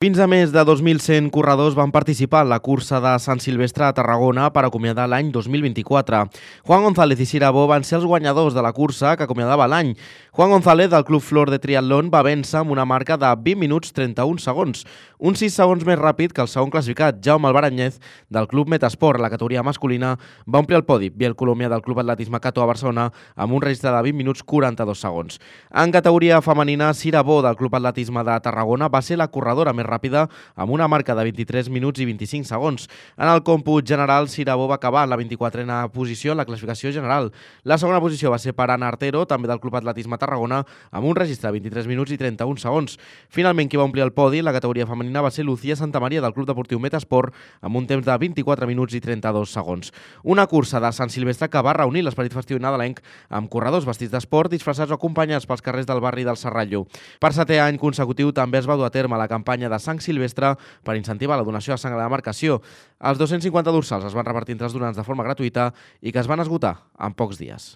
Fins a més de 2.100 corredors van participar en la cursa de Sant Silvestre a Tarragona per acomiadar l'any 2024. Juan González i Sirabó van ser els guanyadors de la cursa que acomiadava l'any. Juan González, del Club Flor de Triatlón, va vèncer amb una marca de 20 minuts 31 segons, uns 6 segons més ràpid que el segon classificat, Jaume Albaranyez, del Club Metasport. La categoria masculina va omplir el podi, Biel Colòmbia, del Club Atletisme Cató a Barcelona, amb un registre de 20 minuts 42 segons. En categoria femenina, Sirabó, del Club Atletisme de Tarragona, va ser la corredora més ràpida amb una marca de 23 minuts i 25 segons. En el còmput general, Sirabó va acabar en la 24a posició en la classificació general. La segona posició va ser per Ana Artero, també del Club Atletisme Tarragona, amb un registre de 23 minuts i 31 segons. Finalment, qui va omplir el podi en la categoria femenina va ser Lucía Santamaria, del Club Deportiu Metasport, amb un temps de 24 minuts i 32 segons. Una cursa de Sant Silvestre que va reunir l'esperit festiu nadalenc amb corredors vestits d'esport, disfressats o acompanyats pels carrers del barri del Serrallo. Per 7è any consecutiu també es va dur a terme la campanya de sang silvestre per incentivar la donació de sang a la demarcació. Els 250 dorsals es van repartir entre els donants de forma gratuïta i que es van esgotar en pocs dies.